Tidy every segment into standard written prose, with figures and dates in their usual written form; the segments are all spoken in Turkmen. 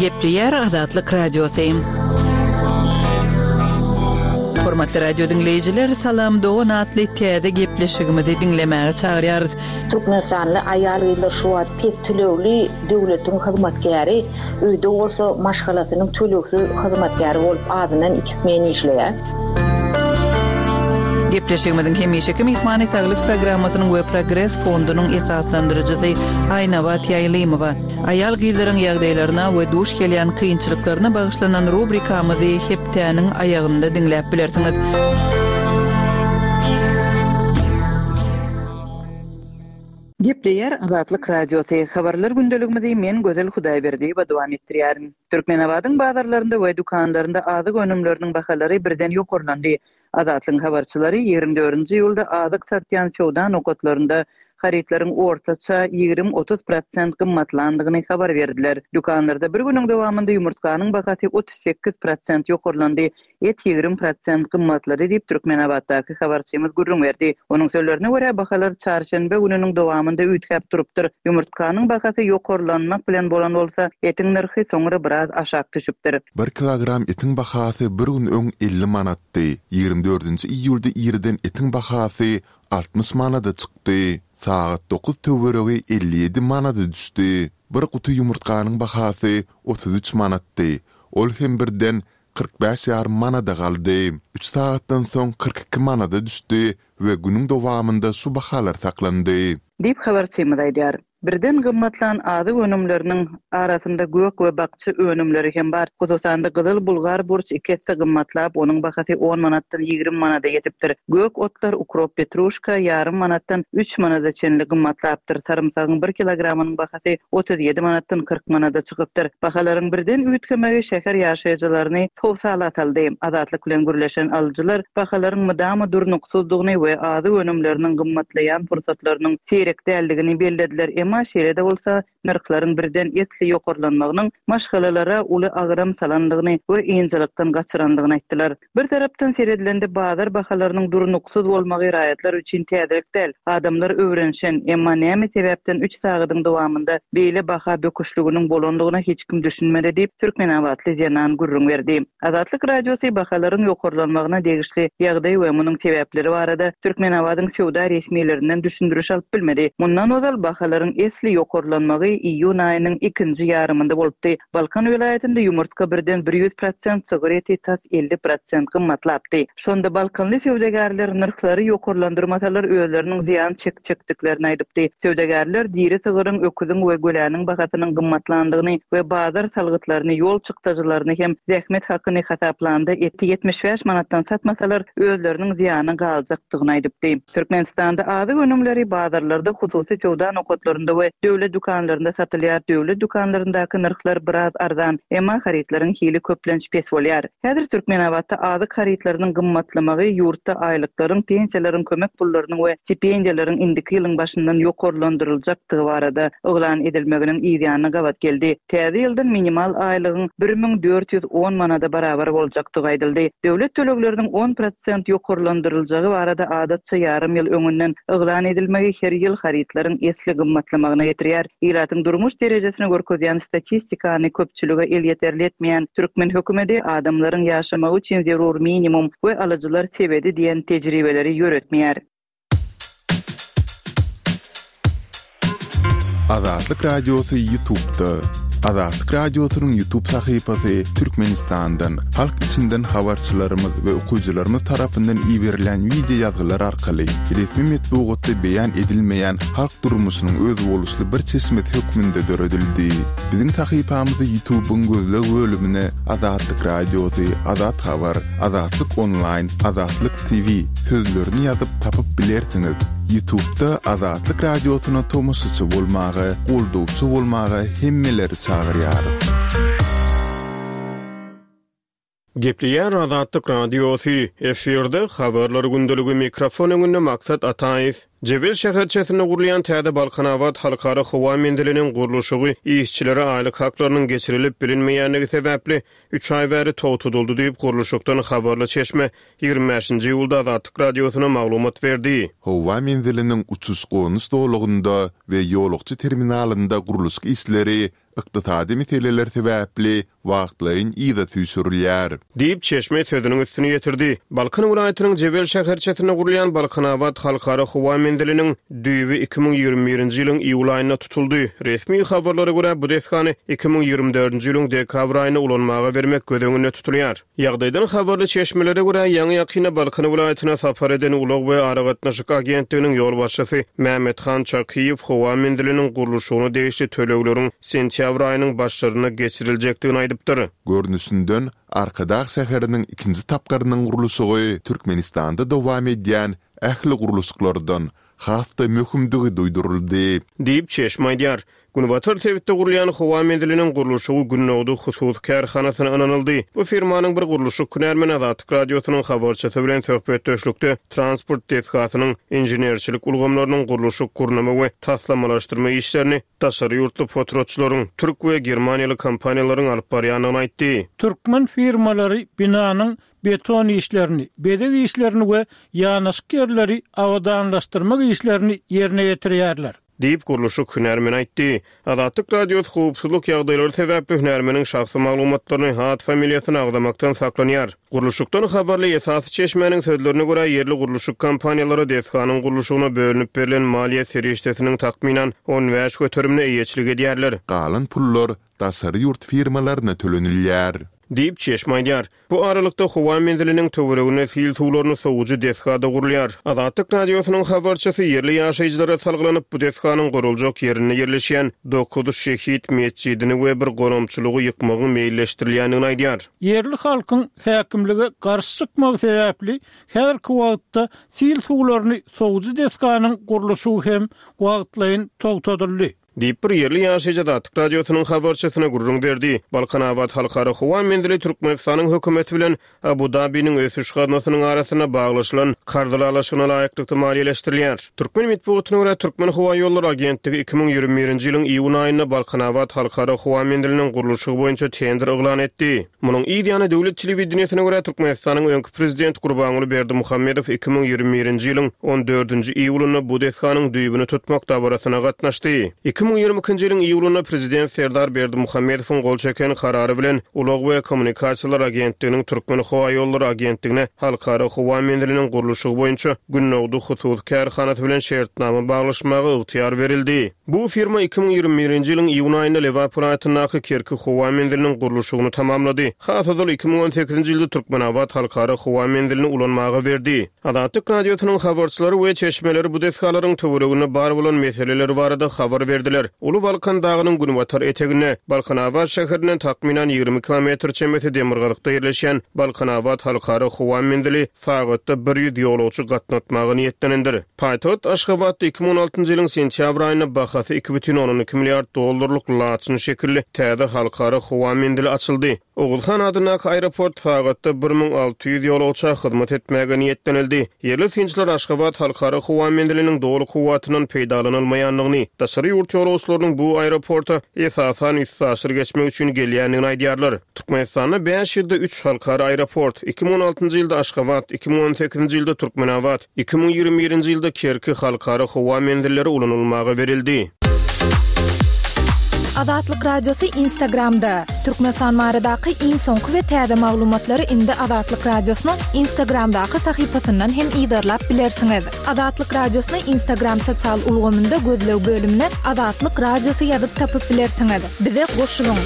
Gepleýär Azatlyk Radiosy. Hormatly radio diňleýjiler, Salam dogan atly täze gepleşigimizi diňlemäge çagyrýarys. Türkmenistanly aýal-gyzlar şu wagt pes tölegli döwletiň hyzmatkäri, öýde bolsa maşgalasynyň tölegsiz hyzmatkäri bolup azyndan iki smen işleýär. Gepleşigimiziň hemişeki myhmany Saglyk programmasynyň we Progres fondunyň esaslandyryjysy Aýnabat Ýaýlymowa. Aýal-gyzlaryň ýagdaýlaryna we duş gelýän kynçylyklaryna bagyşlanan rubrikamyzy hepdäniň aýagynda diňläp bilersiňiz. Gepleýär Azatlyk Radiosy, Habarlar gündeligimizi men Gözel Hudaýberdiýewa dowam etdirýärin. Türkmenabadyň bazarlarynda we dükanlarynda azyk önümleriniň bahalary birden ýokarlandy. Azatlygyň habarçylary 24-nji iýulda azyk satýan söwda nokatlarynda harytlaryň ortaça 20-30 prosent gymmatlandygyny habar berdiler. Dükanlarda bir günüň dowamynda ýumurtganyň bahasy 38 prosent ýokarlandy, Et 20 prosent gymmatlady diýip, Türkmenabatdaky habarçymyz gürrüň berdi. Onuň sözlerine görä, bahalar çarşenbe gününiň dowamynda üýtgäp durupdyr. Ýumurtganyň bahasy ýokarlanmak bilen bolan bolsa, etiň nyrhy soňra biraz aşak düşüpdir. Bir kilogram etiň bahasy bir gün öň 50 manatdy. Ýigrimi dördünji iýulda irden etiň bahasy 60 manada çykdy. Sagat dokuz töweregi 57 manada düşdi. Bir guty ýumurtganyň bahasy 33 manatdy. Ol hem birden 45 ýarym manada galdy. Üç sagatdan soň 42 manada düşdi we günüň dowamynda şu bahalar saklandy. Diýip, habarçymyz aýdýar. Birden gymmatlan azyk önümleriniň arasynda gök we bakja önümleri hem bar. Hususan-da, gyzyl bulgar burç iki esse gymmatlap, onuň bahasy on manatdan 20 manada ýetipdir. Gök otlar, ukrop, petruşka ýarym manatdan üç manada çenli gymmatlapdyr. Sarymsagyň bir kilogramynyň bahasy 37 manatdan 40 manada çykypdyr. Bahalaryň birden üýtgemegi şäher ýaşaýjylaryny howsala saldy. Azatlyk bilen gürleşen alyjylar bahalaryň mydama durnuksyzdygyny we azyk önümleriniň gymmatlaýan pursatlarynyň seýrek däldigini bellediler, emma şeýle-de bolsa, nyrhlaryň birden esli ýokarlanmagynyň maşgalalara uly agram salandygyny we ynjalykdan gaçyrandygyny aýtdylar. Bir tarapdan seredilende bazar bahalarynyň durnuksyz bolmagy raýatlar üçin täzelik däl. Adamlar öwrenişen, emma näme sebäpden üç sagadyň dowamynda beýle baha böküşliginiň bolandygyna hiç kim düşünmedi diýip, türkmenabatly zenan gürrüň berdi. Azatlyk Radiosy bahalaryň ýokarlanmagyna degişli ýagdaý we munuň sebäpleri barada Türkmenabadyň söwda resmilerinden düşündiriş alyp bilmedi. Mundan ozal bahalaryň esli ýokarlanmagy iýun aýynyň ikinji ýarymynda bolupdy. Balkan welaýatynda ýumurtga birden 100 prosent, sygyr eti tas 50 prosent gymmatlapdy. Şonda balkanly söwdagärler nyrhlary ýokarlandyrmasalar özleriniň zyýan çekjekdiklerini aýdypdy. Söwdagärler diri sygyryň, öküziň we göläniň bahasynyň gymmatlandygyny we bazar salgytlaryny, ýol çykdajylaryny hem zähmet hakyny hasaplanda eti 75 manatdan satmasalar özleriniň zyýana galjakdygyny aýdypdy. Türkmenistanda azyk önümleri bazarlarda, hususy söwda nokatlarynda we döwlet dükanlarynda satylýar. Döwlet dükanlaryndaky nyrhlar biraz arzan, emma harytlaryň hili köplenç pes bolýar. Häzir Türkmenabatda azyk harytlarynyň gymmatlamagy ýurtda aýlyklaryň, pensiýalaryň, kömek pullarynyň we stipendiýalaryň indiki ýylyň başyndan ýokarlandyryljakdygy barada yglan edilmeginiň yzýanyna gabat geldi. Täze ýyldan minimal aýlygyň 1410 manada barabar boljakdygy aýdyldy. Döwlet tölegleriniň on prosent ýokarlandyryljagy barada adatça ýarym ýyl öňünden yglan edilmegi her ýyl harytlaryň esli gymmatlamagyna getirýär. Ilatyň durmuş derejesini görkezýän statistikany köpçülige elýeterli etmeýän türkmen hökümeti adamlaryň ýaşamagy üçin zerur minimum we alyjylar sebedi diýen tejribeleri ýöretmeýär. Azatlyk Radiosy YouTube'da. Azatlyk Radiosynyň YouTube sahypasy Türkmenistandan, halk içinden habarçylarymyz we okyjylarymyz tarapyndan iberilen wideo ýazgylar arkaly resmi metbugatda beýan edilmeýän halk durmuşynyň özboluşly bir çeşmesi hökmünde döredildi. Biziň sahypamyzy YouTube-yň gözleg bölümine Azatlyk Radiosy, Azat Habar, Azatlyk Onlaýn, Azatlyk TV sözlerini ýazyp tapyp bilersiňiz. Ýutubda Azatlyk Radiosyna tomaşaçy bolmaga, goldawçy bolmaga hemmeleri çagyrýarys. Gepleýär Azatlyk Radiosy, efirde Habarlar gündeligi, mikrofon öňünde Maksat Ataýew. Jebel şäherçesinde gurulýan täze Balkanabat halkara howa menziliniň gurluşygy işçilere aýlyk haklarynyň geçirilip bilinmeýändigi sebäpli üç aý bäri togtadyldy diýip, gurluşykdan habarly çeşme 25-nji iýulda Azatlyk Radiosyna maglumat berdi. Howa menziliniň uçuş-gonuş zolagynda we ýolagçy terminalynda gurluşyk işleri ykdysady meseleler sebäpli wagtlaýyn yza süýşürilýär. Diýip, çeşme sözüniň üstüni ýetirdi. Balkan welaýatynyň Jebel şäherçesinde gurulýan Balkanabat halkara howa menziliniň düýbi 2021-nji ýylyň iýul aýynda tutuldy. Resmi habarlara görä, bu desgany 2024-nji ýylyň dekabr aýynda ulanmaga bermek göz öňünde tutulýar. Ýagdaýdan habarly çeşmelere görä, ýaňy-ýakynda Balkan welaýatyna sapar eden Ulag we aragatnaşyk agentliginiň ýolbaşçysy Mämmethan Çakyýew howa menziliniň gurluşygyna degişli tölegleriň sentýabr aýynyň başlarynda geçiriljekdigini aýdypdyr. Görnüşinden, Arkadag şäheriniň ikinji tapgyrynyň gurluşygy Türkmenistanda dowam edýän ähli gurluşyklardan has-da möhümdigi duýduryldy. Diýip, çeşme aýdýar. Günbatar sebitde gurulýan howa menziliniň gurluşygy Gündogdy hususy kärhanasyna ynanyldy. Bu firmanyň bir gurluşyk hünärmeni Azatlyk Radiosynyň habarçysy bilen söhbetdeşlikde transport desgasynyň inženerçilik ulgamlarynyň gurluşyk, gurnama we taslamalaşdyrma işlerini daşary ýurtly potratçylaryň, türk we germaniýaly kompaniýalaryň alyp barýandygyny aýtdy. Türkmen firmalary binanyň beton işlerini, bezeg işlerini we ýanaşyk ýerleri abadanlaşdyrmak işlerini ýerine ýetirýärler. Diýip, gurluşyk hünärmeni aýtdy. Azatlyk Radiosy howpsuzlyk ýagdaýlary sebäpli hünärmeniň şahsy maglumatlaryny, at-familiýasyny agzamakdan saklanýar. Gurluşykdan habarly esasy çeşmäniň sözlerine görä, ýerli gurluşyk kompaniýalary desganyň gurluşygyna bölünip berlen maliýe serişdesiniň takmynan 15 göterimine eýeçilik edýärler. Galan pullar daşary ýurt firmalaryna tölenilýär. Diýip, çeşme aýdýar. Bu aralykda, howa menziliniň töwereginde sil suwlaryny sowujy desga-da gurulýar. Azatlyk Radiosynyň habarçysy ýerli ýaşaýjylara salgylanyp, bu desganyň guruljak ýerinde ýerleşýän Dokuz şehit metjidini we bir gonamçylygy ýykmagyň meýilleşdirilýändigini aýdýar. Ýerli halkyň häkimlige garşy çykmagy sebäpli, häzirki wagtda sil suwlaryny sowujy desganyň gurluşygy hem wagtlaýyn togtadyldy. Diýip, bir ýerli ýaşaýjy Azatlyk Radiosynyň habarçysyna gürrüň berdi. Balkanabat halkara howa menzili Türkmenistanyň hökümeti bilen Abu-Dabiniň ösüş gaznasynyň arasynda baglaşylan karz ylalaşygyna laýyklykda maliýeleşdirilýär. Türkmen metbugatyna görä, Türkmenhowaýollary agentligi 2021-nji ýylyň iýun aýynda Balkanabat halkara howa menziliniň gurluşygy boýunça tender yglan etdi. Munuň yz ýany, döwlet telewideniýesine görä, Türkmenistanyň öňki prezidenti Gurbanguly Berdimuhamedow 2021-nji ýylyň on dördünji iýulynda bu desganyň düýbüni tutmak dabarasyna gatnaşdy. 2022-nji ýylyň iýulynda prezident Serdar Berdimuhamedowyň gol çeken karary bilen Ulag we kommunikasiýalar agentliginiň Türkmenhowaýollary agentligine Halkara howa menziliniň gurluşygy boýunça Gündogdy hususy kärhanasy bilen şertnama baglaşmaga ygtyýar berildi. Bu firma 2021-nji ýylyň iýun aýynda Lebap welaýatyndaky Kerki howa menziliniň gurluşygyny tamamlady. Has ozal 2018-nji ýylda Türkmenabat halkara howa menzilini ulanmaga berdi. Azatlyk Radiosynyň habarçylary we çeşmeleri bu desgalaryň töwereginde bar bolan meseleler barada habar berdiler. Uly Balkan dagynyň günbatar eteginde, Balkanabat şäherinden takmynan 20 kilometr çemesi demirgazykda ýerleşýän Balkanabat halkara howa menzili sagatda 100 ýolagçy gatnatmaga niýetlenendir. Paýtagt Aşgabatda 2016-njy ýylyň sentýabr aýynda bahasy 2,2 milliard dollarlyk laçyn şekilli täze halkara howa menzili açyldy. Oguzhan adyndaky aeroport sagatda 1600 ýolagça hyzmat etmäge niýetlenildi. Ýerli synçylar Aşgabat halkara howa menziliniň doly kuwwatyndan peýdalanylmaýandygyny, daşary ýurt ýolagçylarynyň bu aeroporta esasan üstaşyr geçmek üçin gelýändigini aýdýarlar. Türkmenistanda bäş ýylda üç halkara aeroport, 2016-njy ýylda Aşgabat, 2018-nji ýylda Türkmenabat, 2021-nji ýylda Kerki halkara howa menzilleri ulanylmaga berildi. Azatlyk Radiosy Instagramda, Türkmenistan baradaky iň soňky we täze maglumatlary indi Azatlyk Radiosynyň Instagramdaky sahypasyndan hem yzarlap bilersiňiz. Azatlyk Radiosyny Instagram sosial ulgamynda gözleg bölümine Azatlyk Radiosy ýazyp tapyp bilersiňiz. Bize goşulyň!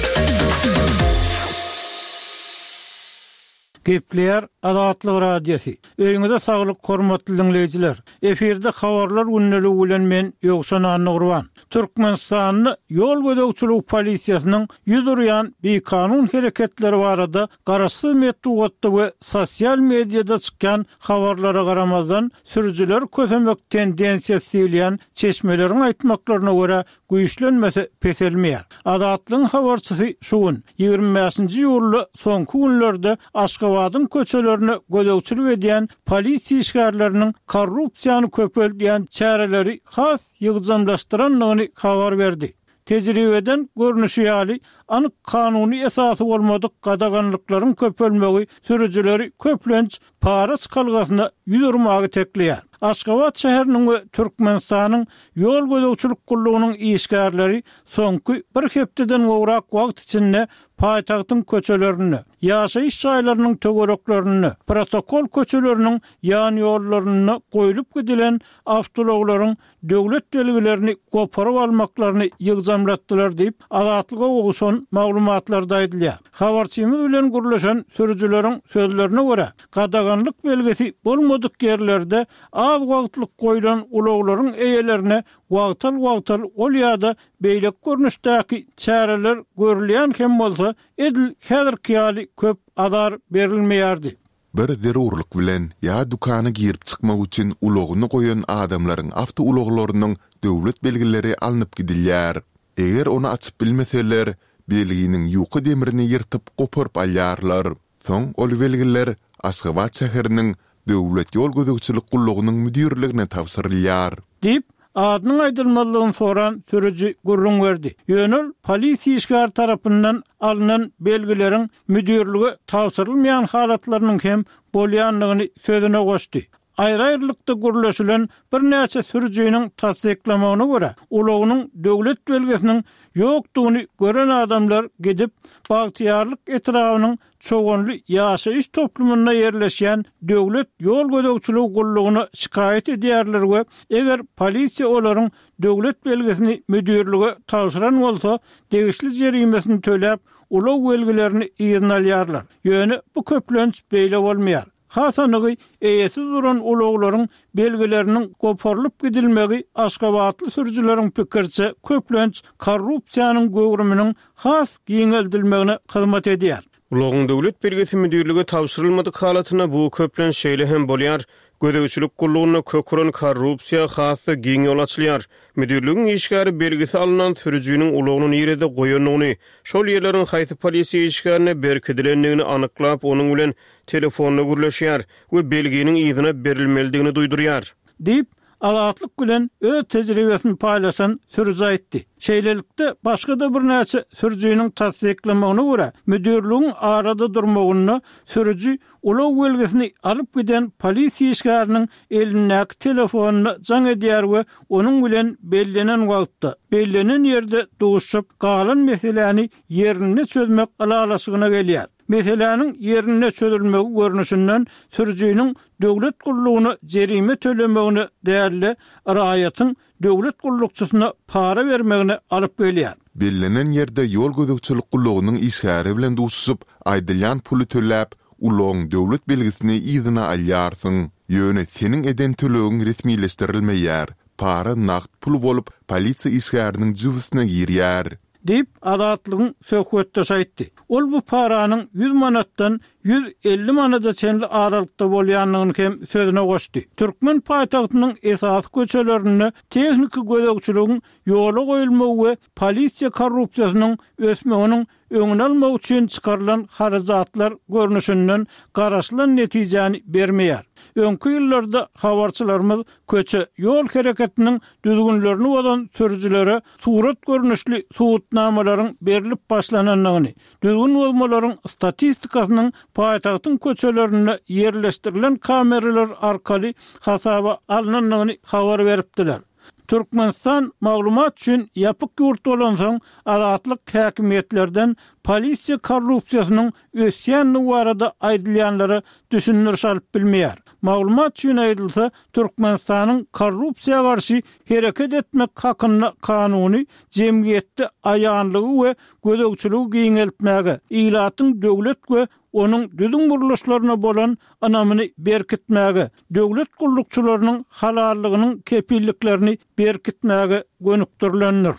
Gepleýär Azatlyk Radiosy. Öýüňize saglyk hormatly diňleýjiler. Efirde habarlar gündeligi bilen men Ýowşan Annagurban. Türkmenistanda ýol gözegçiligi polisiýasynyň ýüz urýan bikanun hereketleri barada garaşsyz metbugatda we sosial mediada çykýan habarlara garamazdan sürüjileri kösemek tendensiýasy diýilýän çeşmeleriň aýtmaklaryna görä güýçlenmese peselmeýär. Azatlygyň habarçysy şu gün, 25-nji iýulda soňky günlerde Aşgabadyň köçelerine gözegçilik edýän polisiýa işgärleriniň korrupsiýany köpeldýän çäreleri has ýygjamlaşdyrandygyny habar berdi. Tejribeden görnüşi ýaly, anyk kanuny esasy bolmadyk gadaganlyklaryň köpelmegi sürüjileri köplenç para çykalgasyna ýüz urmaga itekleýär. Aşgabat şäheriniň we Türkmenistanyň Ýol gözegçilik gullugynyň işgärleri soňky bir hepdeden gowrak wagt içinde paýtagtyň köçelerinde, ýaşaýyş jaýlarynyň töwereklerinde, protokol köçeleriniň ýanýollarynda goýlup gidilen awtoulaglaryň döwlet belgilerini goparyp almaklaryny ýygjamlatdylar diýip, Azatlyga gowşan maglumatlarda aýdylýar. Habarçymyz bilen gürleşen sürüjileriň sözlerine görä, gadaganlyk belgisi bolmadyk ýerlerde az wagtlyk goýlan ulaglaryň eýelerine wagtal-wagtal ol ýa-da beýleki görnüşdäki çäreler görülýän hem bolsa, edil häzirki ýaly köp azar berilmeýärdi. Bir zerurlyk bilen ýa dükana girip çykmak üçin ulagyny goýan adamlaryň awtoulaglarynyň döwlet belgileri alnyp gidilýär. Eger ony açyp bilmeseler, belginiň ýuka demrini ýyrtyp goparyp alýarlar. Soň ol belgiler Aşgabat şäheriniň Döwlet ýol gözegçilik gullugynyň müdirligine tabşyrylýar. Diýip, adynyň aýdylmazlygyny soran sürüji gürrüň berdi. Ýöne ol polisiýa işgäri tarapyndan alnan belgileriň müdirlige tabşyrylmaýan halatlarynyň hem bolýandygyny sözüne goşdy. Aýry-aýrylykda gürleşilen birnäçe sürüjiniň tassyklamagyna görä, ulagynyň döwlet belgisiniň ýokdugyny gören adamlar gidip, Bagtyýarlyk etrabynyň Çoganly ýaşaýyş toplumynda ýerleşýän Döwlet ýol gözegçiligi gullugyna şikaýat edýärler we eger polisiýa olaryň döwlet belgisini müdirlige tabşyran bolsa, degişli jerimesini töläp, ulag belgilerini yzyna alýarlar. Ýöne bu köplenç beýle bolmaýar. Has anygy, eýesiz duran ulaglaryň belgileriniň goparylyp gidilmegi aşgabatly sürüjileriň pikiriçe, köplenç korrupsiýanyň göwrüminiň has giňeldilmegine hyzmat edýär. Ulagyň döwlet belgisi müdirlige tabşyrylmadyk halatynda bu köplenç şeýle hem bolýar, gözegçilik gullugynda kök uran korrupsiýa has-da giň ýol açylýar. Müdirligiň işgäri belgisi alnan sürüjiniň ulagyny nirede goýandygyny, şol ýerleriň haýsy polisiýa işgärine berkidilendigini anyklap, onuň bilen telefonda gürleşýär we belginiň yzyna berilmelidigini duýdurýar. Diýip, Azatlyk bilen öz tejribesini paýlaşan sürüji aýtdy. Şeýlelikde, başga-da birnäçe sürüjiniň tassyklamagyna görä, müdirligiň arada durmagynda sürüji ulag belgisini alyp giden polisiýa işgäriniň elindäki telefonyna jaň edýär we onuň bilen bellenen wagtda, bellenen ýerde duşup, galan meseläni ýerinde çözmek ylalaşygyna gelýär. Meseläniň ýerinde çözülmegi görnüşinden sürüjiniň döwlet gullugyna jerime tölemegine däl-de, raýatyň döwlet gullukçysyna para bermegine alyp gelýär. Bellenen ýerde ýol gözegçilik gullugynyň işgäri bilen duşuşyp, aýdylýan puly töläp, ulagyň döwlet belgisini yzyna alýarsyň. Ýöne seniň eden tölegiň resmileşdirilmeýär, para nagt pul bolup polisiýa işgäriniň jübüsine girýär. Diýip, Azatlygyň söhbetdeşi aýtdy. Ol bu paranyň ýüz manatdan 150 manada çenli aralykda bolýandygyny hem sözüne goşdy. Türkmen paýtagtynyň esasy köçelerinde tehniki gözegçiligiň ýola goýulmagy we polisiýa korrupsiýasynyň ösmeginiň öňüni almak üçin çykarylan harajatlar görnüşinden garaşylan netijäni bermeýär. Öňki ýyllarda habarçylarymyz köçe ýol hereketiniň düzgünlerini bozan sürüjilere surat görnüşli subutnamalaryň berlip başlanandygyny, düzgün bozmalaryň statistikasynyň paýtagtyň köçelerinde ýerleşdirilen kameralar arkaly hasaba alnandygyny habar beripdiler. Türkmenistan maglumat üçin ýapyk ýurt bolansoň, Azatlyk häkimiýetlerden polisiýa korrupsiýasynyň ösýändigi barada aýdylýanlara düşündiriş alyp bilmeýär. Maglumat üçin aýdylsa, Türkmenistanyň Korrupsiýa garşy hereket etmek hakynda kanuny jemgyýetde aýanlygy we gözegçiligi giňeltmäge, ilatyň döwlet we onuň düzüm gurluşlaryna bolan ynamyny berkitmäge, döwlet gullukçylarynyň halallygynyň kepilliklerini berkitmäge gönükdirilendir.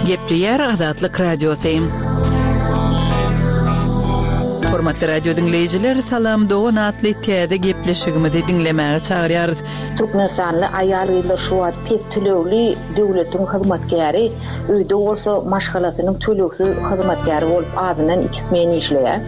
Gepleýär Azatlyk Radiosy. Hormatly radio diňleýjiler, Salam dogan atly täze gepleşigimizi diňlemäge çagyrýarys. Türkmenistanly aýal-gyzlar şu wagt pes tölegli döwletiň hyzmatkäri, öýde bolsa maşgalasynyň tölegsiz hyzmatkäri bolup azyndan iki smen işleýär.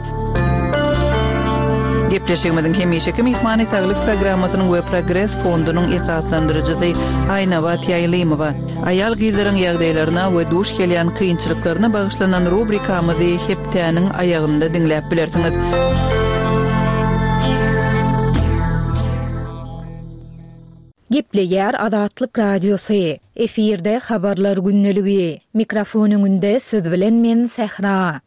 Gepleşigimiziň hemişeki myhmany Saglyk programmasynyň we Progres fondunyň esaslandyryjysy Aýnabat Ýaýlymowa. Aýal-gyzlaryň ýagdaýlaryna we duş gelýän kynçylyklaryna bagyşlanan rubrikamyzy hepdäniň aýagynda diňläp bilersiňiz. Gepleýär Azatlyk Radiosy, efirde Habarlar gündeligi. Mikrofon öňünde siz bilen men Sähra.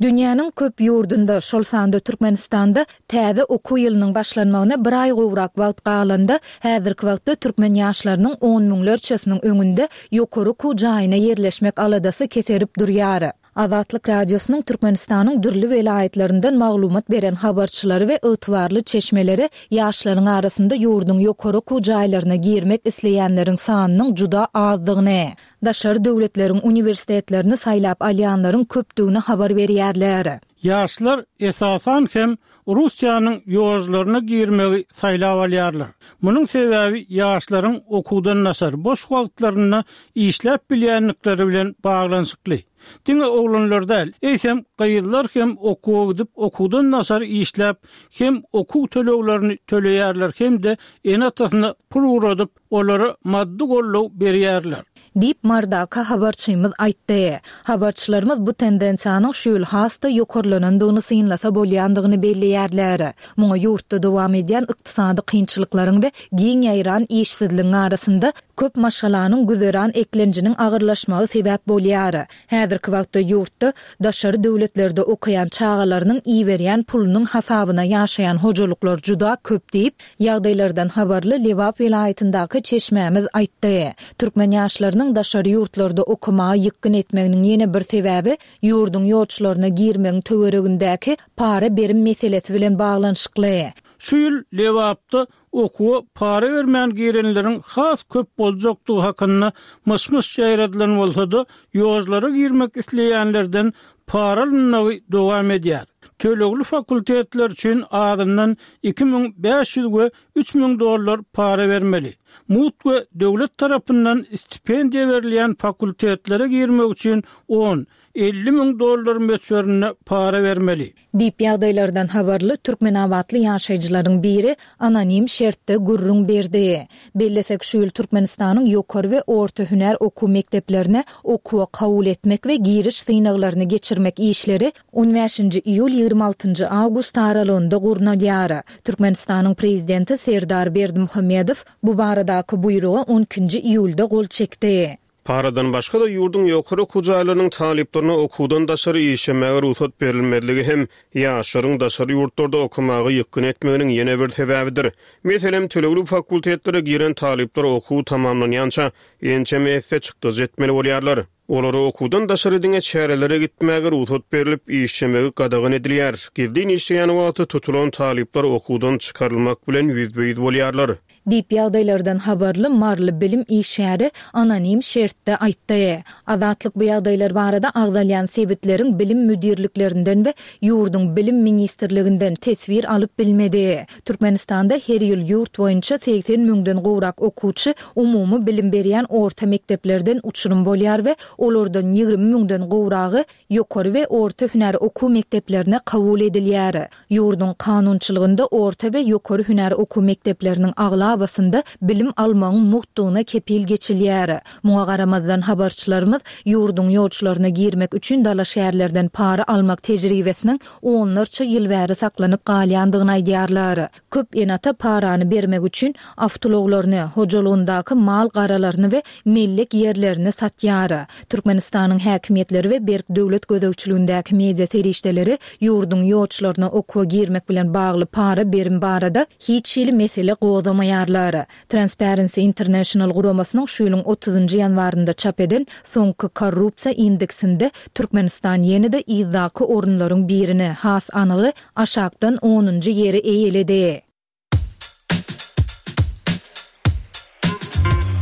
Dünýäniň köp ýurdunda, şol sanda Türkmenistanda täze okuw ýylynyň başlanmagyna bir aý gowrak wagt galanda, häzirki wagtda türkmen ýaşlarynyň on müňlerçesiniň öňünde ýokary okuw jaýyna ýerleşmek aladasy keserip durýar. Azatlyk Radiosynyň Türkmenistanyň dürli welaýatlaryndan maglumat beren habarçylary we ygtybarly çeşmeleri ýaşlaryň arasynda ýurduň ýokary okuw jaýlaryna girmek isleýänleriň sanynyň juda azdygyny, daşary döwletleriň uniwersitetlerini saýlap alýanlaryň köpdügini habar berýärler. Ýaşlar, esasan hem, Russiýanyň ýožlaryna girmegi saýlap alýarlar. Munuň sebäbi ýaşlaryň okuwdan daşary boş wagtlarynda işläp bilýändikleri bilen baglanyşykly. Diňe oglanlar däl, eýsem, gyzlar hem okuwa gidip, okuwdan daşary işläp, hem okuw töleglerini töleýärler hem-de ene-atasyna pul ugradyp, olara maddy goldaw berýärler. Diýip, Mardaky habarçymyz aýtdy. Habarçylarymyz bu tendensiýanyň şu ýyl has-da ýokarlanandygyny synlasa bolýandygyny belleýärler. Muňa ýurtda dowam edýän ykdysady kynçylyklaryň we giň ýaýran işsizligiň arasynda köp maşgalanyň güzeran eklenjiniň agyrlaşmagy sebäp bolýar. Häzirki wagtda ýurtda daşary döwletlerde okaýan çagalarynyň iberýän pulunyň hasabyna ýaşaýan hojalyklar juda köp diýip, Ýagdaýlardan habarly Lebap welaýatyndaky çeşmämiz aýtdy. Türkmen ýaşlarynyň daşary ýurtlarda okamaga ýykgyn etmeginiň ýene bir sebäbi ýurduň ýolçularyna girmegiň töweregindäki para-berim meselesi bilen baglanyşykly. Şu ýyl Lebapda okuwa para bermän girenleriň has köp boljakdygy hakynda myş-myş ýaýradylan bolsa-da, ýollara girmek isleýänlerden para alynmagy dowam edýär. Tölegli fakultetler üçin azyndan 2500 we 3000 dollar para bermeli. Mugt we döwlet tarapyndan stipendiýa berilýän fakultetlere girmek üçin on, 50 müň dollar möçberinde para bermeli. Diýip, ýagdaýlardan habarly türkmenabatly ýaşaýjylaryň biri anonim şertde gürrüň berdi. Bellesek, şu ýyl Türkmenistanyň ýokary we orta hünär okuw mekdeplerine okuwa kabul etmek we giriş synaglaryny geçirmek işleri on bäşinji iýul, 26 nji awgust aralygynda gurnalýar. Türkmenistanyň Prezidenti Serdar Berdimuhamedow bu baradaky buýruga on ikinji iýulda gol çekdi. Paradan başga-da ýurduň ýokary okuw jaýlarynyň talyplaryna okuwdan daşary işlemäge rugsat berilmezligi hem ýaşlaryň daşary ýurtlarda okamaga ýykgyn etmeginiň ýene bir sebäbidir. Meselem, tölegli fakultetlere giren talyplar okuw tamamlanýança ençeme esse çykdajy etmeli bolýarlar. Olara okuwdan daşary diňe çärelere gitmäge rugsat berlip, işlemegi gadagan edilýär. Gizlin işleýän wagty tutulan talyplar okuwdan çykarylmak bilen ýüzbe-ýüz bolýarlar. Diýip, ýagdaýlardan habarly maryly bilim işgäri anonim şertde aýtdy. Azatlyk bu ýagdaýlar barada agzalýan sebitleriň bilim müdirliklerinden we ýurduň Bilim ministrliginden teswir alyp bilmedi. Türkmenistanda her ýyl ýurt boýunça 80 müňden gowrak okuwçy umumy bilim berýän orta mekdeplerden uçurym bolýar we olardan 20 müňden gowragy ýokary we orta hünär okuw mekdeplerine kabul edilýär. Ýurduň kanunçylygynda orta we ýokary hünär okuw mekdepleriniň aglabasynda bilim almagyň mugtdugyna kepil geçilýär. Muňa garamazdan, habarçylarymyz ýurduň ýolçularyna girmek üçin dalaşgärlerden para almak tejribesiniň onlarça ýyl bäri saklanyp galýandygyny aýdýarlar. Köp ene-ata parany bermek üçin awtoulaglaryny, hojalygyndaky mal-garalaryny we mellek ýerlerini satýar. Türkmenistanyň häkimiýetleri we berk döwlet gözegçiligindäki media serişdeleri ýurduň ýolçularyna okuwa girmek bilen bagly para-berim barada hiç hili mesele gozgamaýarlar. Transparency International guramasynyň şu ýylyň otuzynjy ýanwarynda çap eden soňky korrupsiýa indeksinde Türkmenistan ýene-de yzdaky orunlaryň birini, has anygy, aşakdan onunjy ýeri eýeledi.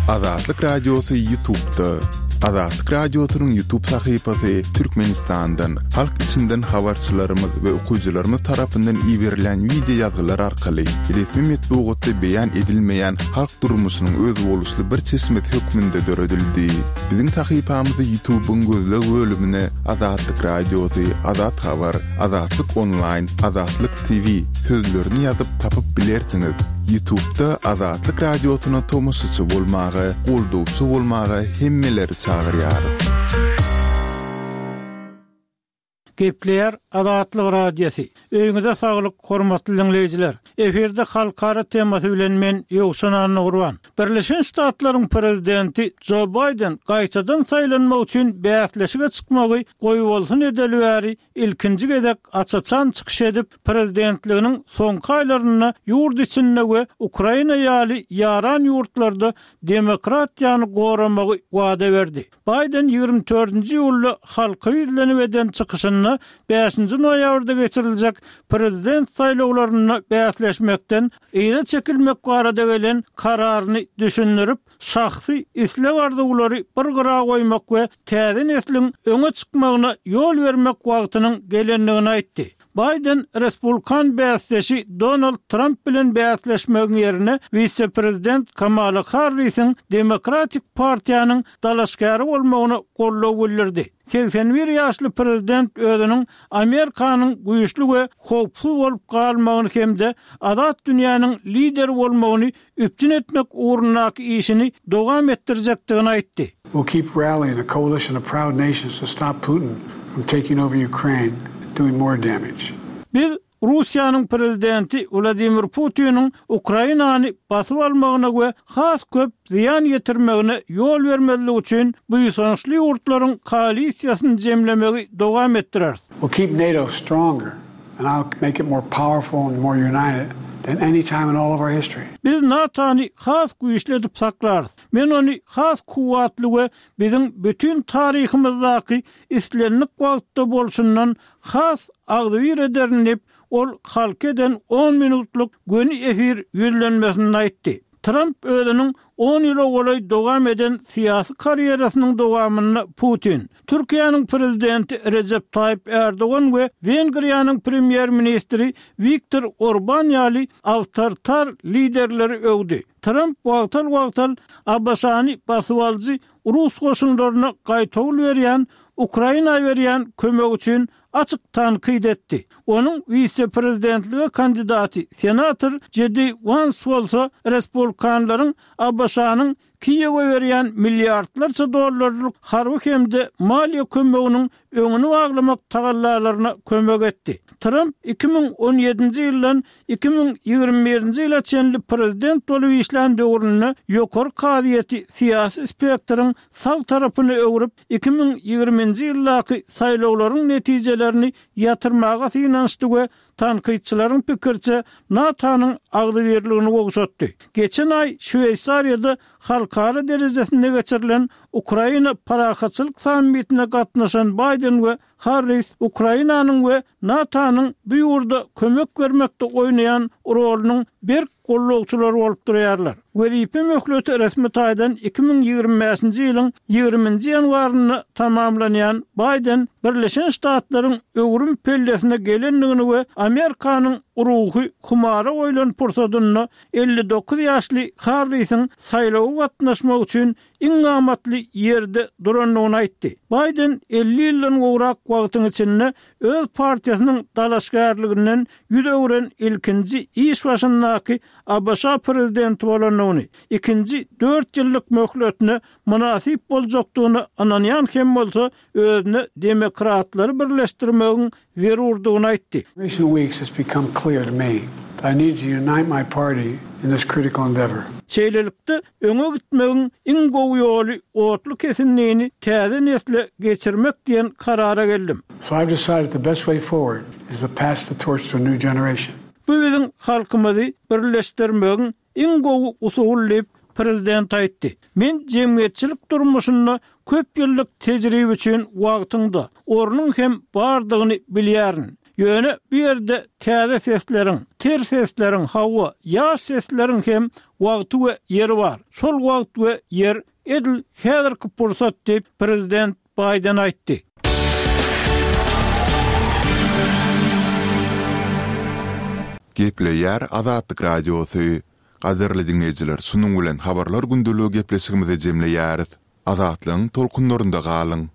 Azatlyk Radiosy Ýutubda. Azatlyk Radiosynyň YouTube sahypasy Türkmenistandan, halk içinden habarçylarymyz we okyjylarymyz tarapyndan iberilýän wideo ýazgylar arkaly resmi metbugatda beýan edilmeýän halk durmuşynyň özboluşly bir çeşmesi hökmünde döredildi. Biziň sahypamyzy YouTube-yň gözleg bölümine Azatlyk Radiosy, Azat Habar, Azatlyk Onlaýn, Azatlyk TV sözlerini ýazyp tapyp bilersiňiz. Ýutubda Azatlyk Radiosyna tomaşaçy bolmaga, goldawçy bolmaga hemmeleri çagyrýarys. Gepleýär Azatlyk Radiosy. Öýüňize saglyk, hormatly diňleýjiler! Efirde halkara temasy bilen men, Ýowşan Annagurban. Birleşen Ştatlaryň Prezidenti Jo Baýden gaýtadan saýlanmak üçin bäsleşige çykmagy goýbolsun edeli bäri ilkinji gezek aç-açan çykyş edip, prezidentliginiň soňky aýlarynda ýurt içinde we Ukraina ýaly ýaran ýurtlarda demokratiýany goramagy wada berdi. Baýden 24-nji iýulda halka ýüzlenip eden çykyşynda bäşinji noýabrda geçiriljek prezident saýlawlarynda bäsleşmekden yza çekilmek barada gelen kararyny düşündirip, şahsy isleg-arzuwlary bir gyra goýmak we täze nesliň öňe çykmagyna ýol bermek wagtynyň gelendigini aýtdy. Baýden respublikan bäsdeşi Donald Tramp bilen bäsleşmegiň ýerine wise-prezident Kamala Harrisiň Demokratik partiýanyň dalaşgäri bolmagyna goldaw bildirdi. 81 ýaşly prezident özüniň Amerikanyň güýçli we howpsuz bolup galmagyny hem-de azat dünýäniň lideri bolmagyny üpjün etmek ugrundaky işini dowam etdirjekdigini aýtdy. We'll keep rallying a coalition of proud nations to stop Putin from taking over Ukraine and doing more damage. Biz Russiýanyň prezidenti Wladimir Putiniň Ukrainany basyp almagyna we has köp zyýan ýetirmegine ýol bermezlik üçin buýsançly ýurtlaryň koalisiýasyny jemlemegi dowam etdireris. We'll keep NATO stronger And I'll make it more powerful and more united than any time in all of our history. Biz NATO-ny has güýçli edip saklarys. Men ony has kuwwatly we biziň bütin taryhymyzdaky islendik wagtda bolşundan has agzybir ederin diýip, ol halka eden on minutlyk göni efir ýüzlenmesinde aýtdy. Tramp özüniň on ýyla golaý dowam eden syýasy karýerasynyň dowamynda Putin, Türkiýäniň prezidenti Rejep Taýyp Ärdogan we Wengriýanyň premýer-ministri Wiktor Orban ýaly awtoritar liderleri öwdi. Tramp wagtal-wagtal ABŞ-ny basybalyjy rus goşunlaryna gaýtawul berýän Ukraina berýän kömegi üçin açyk tankyt etdi. Onuň wise-prezidentlige kandidaty senator Jedi Wans bolsa respublikanlaryň ABŞ-nyň Kiýewe berýän milliardlarça dollarlyk harby hem-de maliýe kömeginiň öňüni baglamak tagallalaryna kömek etdi. Tramp 2017-nji ýyldan 2021-nji ýyla çenli prezident bolup işlän döwründe ýokary kazyýeti syýasy spektriň sag tarapyna öwrüp, 2020-nji ýyldaky saýlawlaryň netijelerini ýatyrmaga synanyşdy we tankytçylaryň pikiriçe, NATO-nyň agzybirligini gowşatdy. Geçen aý Şweýsariýada halkara derejesinde geçirilen Ukraina parahatçylyk sammitine gatnaşan Baýden we Harris Ukrainanyň we NATO-nyň bu ýurda kömek bermekde oýnaýan rolunyň berk gollagçylary bolup durýarlar. Wezipe möhleti resmi taýdan 2025-nji ýylyň ýigriminji ýanwarynda tamamlanýan Baýden Birleşen Ştatlaryň öwrüm pellesine gelendigini we Amerikanyň ruhy humara goýlan pursadynda 59 ýaşly Harrisiň saýlawa gatnaşmagy üçin iň amatly ýerde durandygyny aýtdy. Baýden 50 ýyldan gowrak wagtyň içinde öz partiýasynyň dalaşgärliginden ýüz öwren ilkinji iş başyndaky ABŞ prezidenti bolandygyny, ikinji dört ýyllyk möhletine mynasyp boljakdygyna ynanýan hem bolsa, özüne demokratlary birleşdirmegiň zerurdygyny aýtdy. Recent weeks it's become clear to me that I need to unite my party in this critical endeavor. Şeýlelikde, öňe gitmegiň iň gowy ýoly otly kesindini täze nesle geçirmek diýen karara geldim. So I've decided the best way forward is to pass the torch to a new generation. Bu biziň halkymyzy birleşdirmegiň iň gowy usuly diýip, prezident aýtdy. Men jemgyýetçilik durmuşynda köp ýyllyk tejribe üçin wagtyň-da, ornuň hem bardygyny bilýärin. Ýöne bu ýerde täze sesleriň, ter sesleriň, hawa, ýaş sesleriň hem wagty we ýeri bar. Şol wagt we ýer. edil häzirki pursat diýip, prezident Baýden aýtdy. Gepleýär Azatlyk Radiosy. Gadyrly diňleýjiler şunuň bilen Habarlar gündeligi gepleşigimizi jemleýäris. Azatlygyň tolkunlarynda galyň!